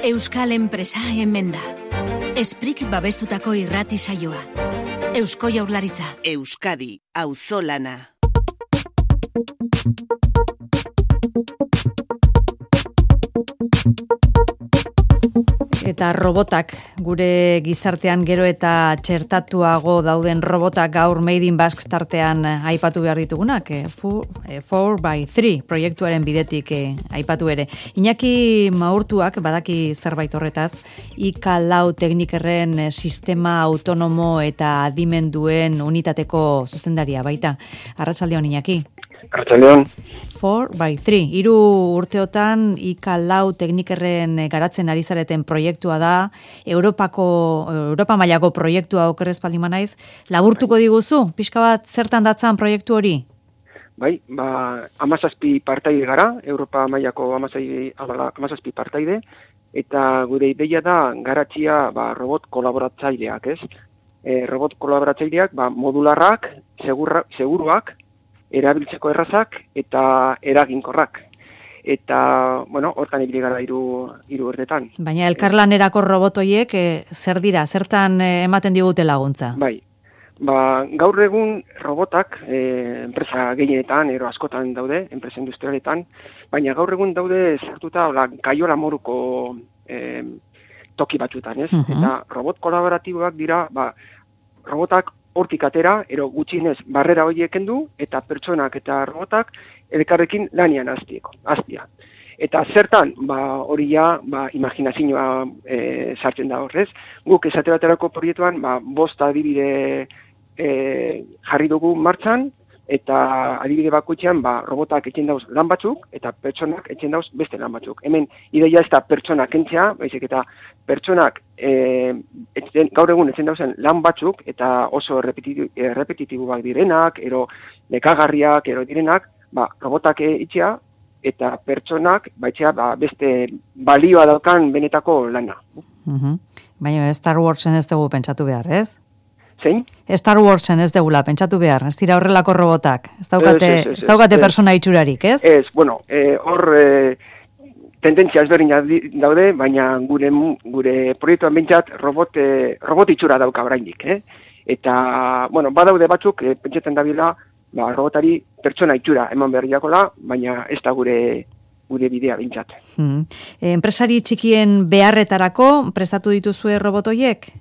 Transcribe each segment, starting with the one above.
Euskal enpresa hemen da. Esprik babestutako irrati saioa. Eusko Jaurlaritza. Euskadi, auzolana. Eta robotak, gure gizartean gero eta txertatuago dauden robotak gaur Made in Basque tartean aipatu behar ditugunak, 4x3 proiektuaren bidetik aipatu ere. Iñaki Maurtuak badaki zerbait horretaz, IK4 teknikerren sistema autonomo eta adimenduen unitateko zuzendaria baita. Arratsaldeon Iñaki. Arratsaldeon. 4x3, 3 urteotan IK4 teknikerren garatzen ari zareten proiektua da, Europa mailako proiektua okerrez baldin naiz, laburtuko diguzu, pixka bat zertan datzan proiektu hori? Bai, 17 partaide gara, Europa mailako 17 partaide, eta gure ideia da garatzia robot kolaboratzaileak, ez? Robot kolaboratzaileak modularrak, seguruak, erabiltzeko errazak eta eraginkorrak. Eta, hortan ibili gara hiru urtetan. Baina elkarlanerako robotoiek zer dira, zertan ematen digute laguntza? Bai, gaur egun robotak enpresa gehienetan, askotan daude, enpresa industrialetan, baina gaur egun daude sartuta kaiola moruko toki batzuetan, ez? Eta robot kolaboratiboak dira, robotak hortik atera, gutxienez barrera horiek kendu, eta pertsonak eta robotak elkarrekin lanian hastia. Eta zertan, hori imaginazioa sartzen da horrez. Guk esate baterako proiektuan, 5 adibide jarri dugu martxan, eta adibide bakoitzean robotak etxen dauz lan batzuk, eta pertsonak etxen dauz beste lan batzuk. Hemen ideia ez da pertsonak kentzea, baizik eta pertsonak gaur egun etxen dauzen lan batzuk, eta oso repetitiboak direnak, nekagarriak, direnak, robotak itxea, eta pertsonak beste balioa daukan benetako lana. Baina Star Warsen ez dugu pentsatu behar, ez? Zein? Star Warsen ez degula, pentsatu behar, ez dira horrelako robotak, ez daukate persona itxurarik, ez? Ez, hor tendentzia ezberdinak daude, baina gure proiektuan bintzat robot itxura dauka oraindik, Eta, badaude batzuk, pentsetan dabila, robotari pertsona itxura eman behar diakola, baina ez da gure bidea bintzat. Enpresari txikien beharretarako prestatu dituzue robotoiek?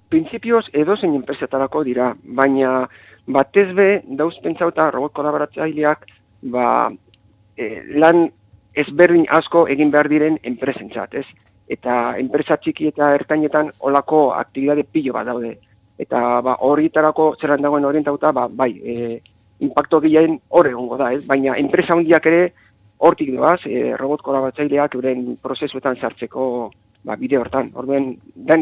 Printzipioz edozein enpresetarako dira, baina batez be dauz pentsauta robot kolaboratzaileak lan ezberdin asko egin behar diren enpresentzat, ez? Eta enpresa txiki eta ertainetan olako aktibitate pilo bat daude. Eta horietarako zelan dagoen orientauta, impacto gehien hor egongo da, ez? Baina enpresa handiak ere hortik doaz, robot kolaboratzaileak euren prozesuetan sartzeko bide hortan,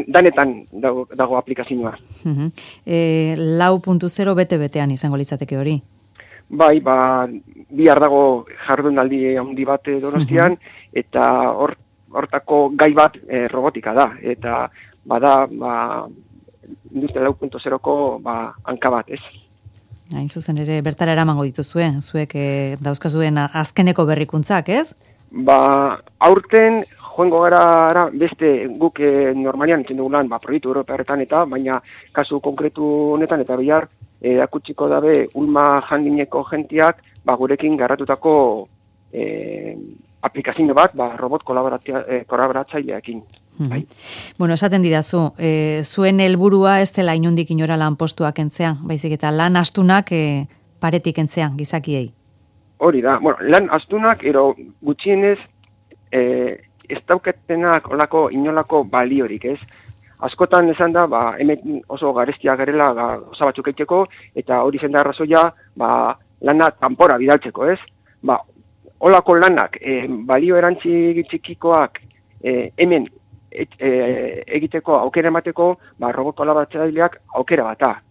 danetan dago aplikazioa. 4.0 bete-betean izango litzateke hori? Bai, bihar dago jardunaldi handi bat Donostian, eta hortako gai bat robotika da, eta industria 4.0ko hanka bat, ez? Hain zuzen ere, bertara eramango dituzue, zuek dauzkazuen azkeneko berrikuntzak, ez? Aurten joango gara beste guk normalian itzen dugulan proiektu europearetan baina kasu konkretu honetan eta bihar akutsiko dabe Ulma Handineko gentiak gurekin garratutako aplikazio bat robot kolaboratzaileekin. Esaten didazu, zuen helburua ez dela inundik inora lanpostua kentzea, baizik eta lan astunak paretik kentzea gizakiei. Hori da, lan astunak gutxienez ez daukatenak inolako baliorik, ez? Askotan esan da, hemen oso garestia garela osa batzuk eiteko, eta hori zen da arrazoia, lana kanpora bidaltzeko, ez? Olako lanak, balio erantzi txikikoak hemen egiteko aukera emateko, robot kolaboratzaileak aukera bata.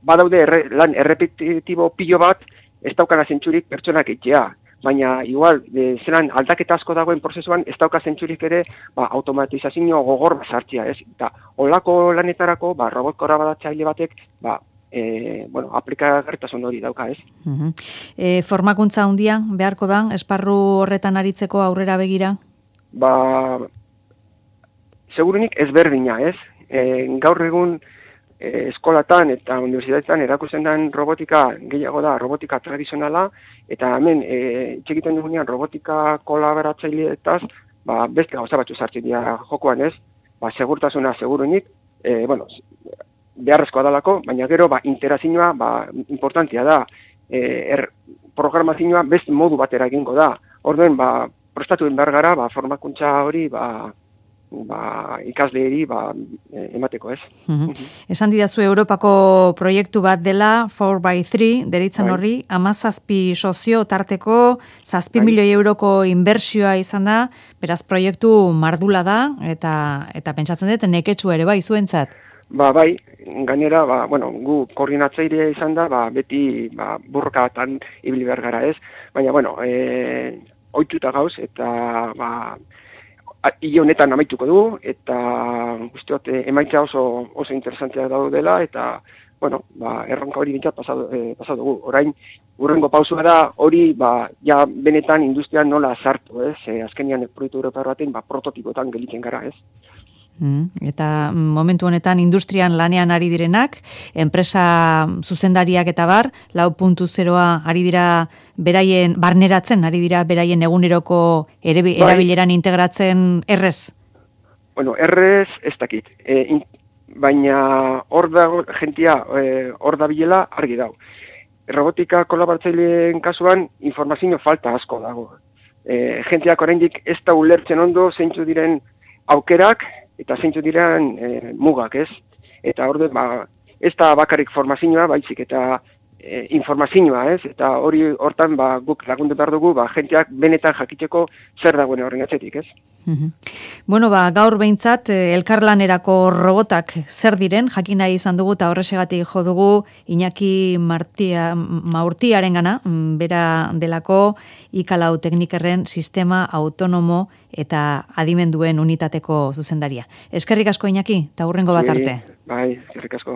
Badaude lan errepetitibo pilo bat, ez daukana zentzurik pertsonak eitea. Baina, igual, zelan aldaketa asko dagoen prozesuan, ez dauka zentzurik ere, automatizazio gogor sartzea, ez? Eta, olako lanetarako, robot kolaboratzaile batek, aplikagarritasun hori dauka, ez? Formakuntza handia beharko da, esparru horretan aritzeko aurrera begira? segurunik ezberdina, ez? Gaur egun eskolatan eta unibertsitatetan erakusten den robotika gehiago da robotika tradizionala, eta hemen txekiten dugunean robotika kolaboratzaileetaz, beste gauza batzu sartzen dira jokoan, ez? Segurtasuna segurunik, beharrezkoa dalako, baina gero interazioa importantia da. Programazioa beste modu batera egingo da. Orduen, prestatu behar gara, formakuntza hori, ikasleeri emateko, ez? Esan didazu Europako proiektu bat dela, 4x3, deritzen horri, 17 sozio tarteko 7 milioi euroko inbertsioa izan da, beraz proiektu mardula da, eta pentsatzen dut neketsu ere zuentzat. Bai, gainera, gu koordinatzailea izan da, beti burrokatan ibili behar gara, ez? Baina, ohituta gauz, eta hile honetan amaituko du, eta guztiot emaitza oso interesantea daudela, eta, erronka hori bintzat pasatu dugu. Orain, urrengo pausua da, hori, benetan industrian nola sartu, ez? Azkenian proiektu europar baten, prototipoetan gelitzen gara, ez? Eta momentu honetan industrian lanean ari direnak, enpresa zuzendariak eta 4.0 ari dira beraien barneratzen, ari dira beraien eguneroko erabileran integratzen errez? Errez ez dakit, baina hor dago jentia hor da bilela argi dago. Robotika kolaboratzaileen kasuan informazio falta asko dago. Jentiak oraindik ez da ulertzen ondo zeintzu diren aukerak, eta zeintzu diren mugak, ez? Eta hor ez da bakarrik formazioa, baizik eta informazioa, ez? Eta hortan guk lagundu behar dugu, jenteak benetan jakiteko zer dagoen horren atzetik, ez? Gaur behintzat, elkarlanerako robotak zer diren, jakin nahi izan dugu, eta horresegatik jo dugu Iñaki Maurtiaren gana, bera delako Ikalau Teknikerren sistema autonomo eta adimenduen unitateko zuzendaria. Eskerrik asko, Iñaki, eta hurrengo bat arte. Bai, eskerrik asko.